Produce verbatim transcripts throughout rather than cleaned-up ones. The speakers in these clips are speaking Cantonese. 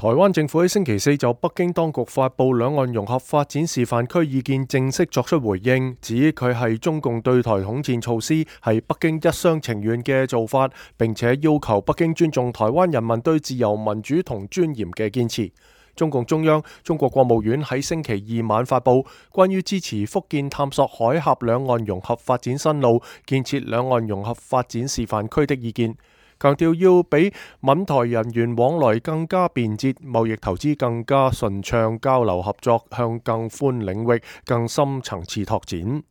台灣政府喺星期四就北京當局發布兩岸融合發展示範區意見正式作出回應，指佢係中共對台統戰措施係北京一廂情願嘅做法，並且要求北京尊重台灣人民對自由民主同尊嚴嘅堅持。中共中央、中國國務院喺星期二晚發布關於支持福建探索海峽兩岸融合發展新路、建設兩岸融合發展示範區的意見，強調要比閩台人員往來更加便捷，貿易投資更加順暢，交流合作向更寬領域、更深層次拓展。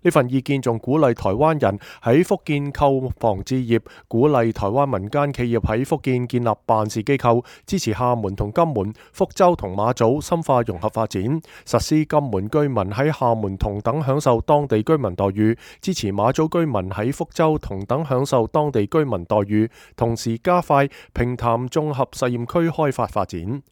呢份意見仲鼓勵台灣人喺福建購房置業，鼓勵台灣民間企業喺福建建立辦事機構，支持廈門同金門、福州同馬祖深化融合發展，實施金門居民喺廈門同等享受當地居民待遇，支持馬祖居民喺福州同等享受當地居民待遇，同時加快平潭綜合實驗區開發發展。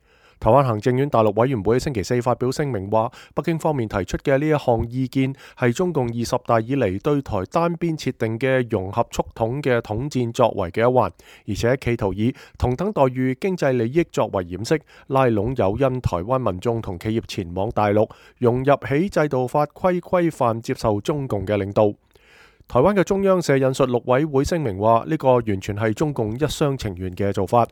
台灣行政院大陸委員會星期四發表聲明話，北京方面提出嘅呢一項意見係中共二十大以嚟對台單邊設定嘅融合促統嘅統戰作為嘅一環，而且企圖以同等待遇、經濟利益作為掩飾，拉攏誘因台灣民眾同企業前往大陸，融入起制度法規規範接受中共嘅領導。台灣嘅中央社引述陸委會聲明話，呢個完全係中共一廂情願嘅做法。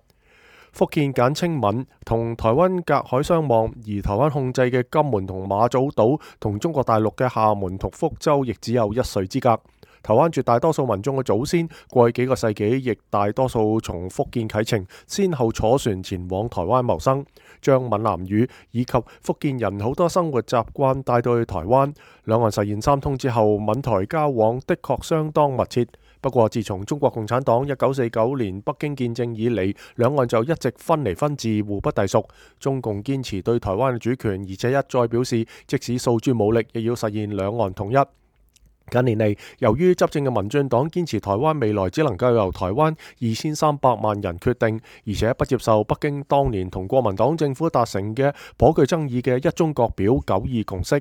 福建簡稱閩，同台灣隔海相望，而台灣控制嘅金門同馬祖島同中國大陸嘅廈門同福州亦只有一水之隔。台灣絕大多數民眾嘅祖先過去幾個世紀亦大多數從福建啟程，先後坐船前往台灣謀生，將閩南語以及福建人好多生活習慣帶到去台灣。兩岸實現三通之後，閩台交往的確相當密切。不過，自從中國共產黨一九四九年北京建政以嚟，兩岸就一直分離分治，互不隸屬。中共堅持對台灣嘅主權，而且一再表示，即使訴諸武力，亦要實現兩岸統一。近年嚟，由於執政嘅民進黨堅持台灣未來只能夠由台灣二千三百萬人決定，而且不接受北京當年同國民黨政府達成嘅頗具爭議嘅一中各表九二共識，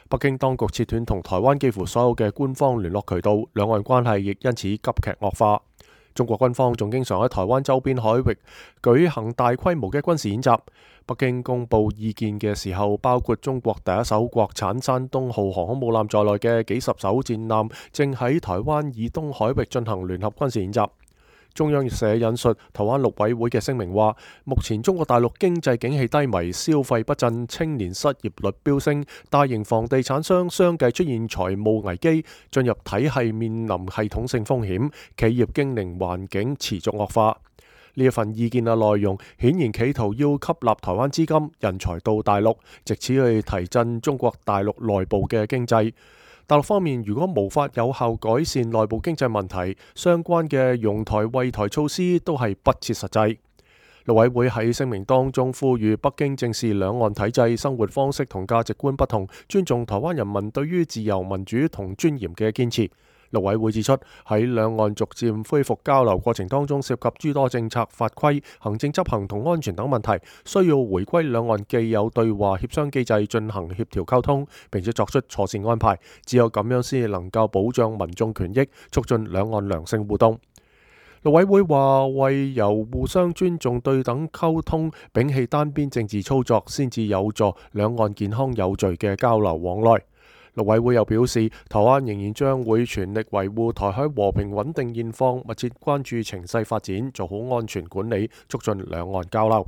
北京當局切斷同台灣幾乎所有嘅官方聯絡渠道，兩岸關係亦因此急劇惡化。中國軍方仲經常喺台灣周邊海域舉行大規模嘅軍事演習。北京公布意見嘅時候，包括中國第一艘國產山東號航空母艦在內嘅幾十艘戰艦正喺台灣以東海域進行聯合軍事演習。中央社引述台灣陸委會嘅聲明話，目前中國大陸經濟景氣低迷，消費不振，青年失業率飆升，大型房地產商相繼出現財務危機，進入體系面臨系統性風險，企業經營環境持續惡化。呢一份意見嘅內容顯然企圖要吸納台灣資金、人才到大陸，藉此去提振中國大陸內部嘅經濟。大陸方面如果無法有效改善內部經濟問題，相關嘅擁台惠台措施都係不切實際。陸委會喺聲明當中呼籲北京正視兩岸體制、生活方式同價值觀不同，尊重台灣人民對於自由民主同尊嚴嘅堅持。陸委會指出，喺兩岸逐漸恢復交流過程當中，涉及諸多政策法規、行政執行同安全等問題，需要回歸兩岸既有對話協商機制進行協調溝通，並且作出妥善安排。只有咁樣先能夠保障民眾權益，促進兩岸良性互動。陸委會話，為由互相尊重、對等溝通，摒棄單邊政治操作，先至有助兩岸健康有序嘅交流往來。陸委會又表示，台灣仍然將會全力維護台海和平穩定現況，密切關注情勢發展，做好安全管理，促進兩岸交流。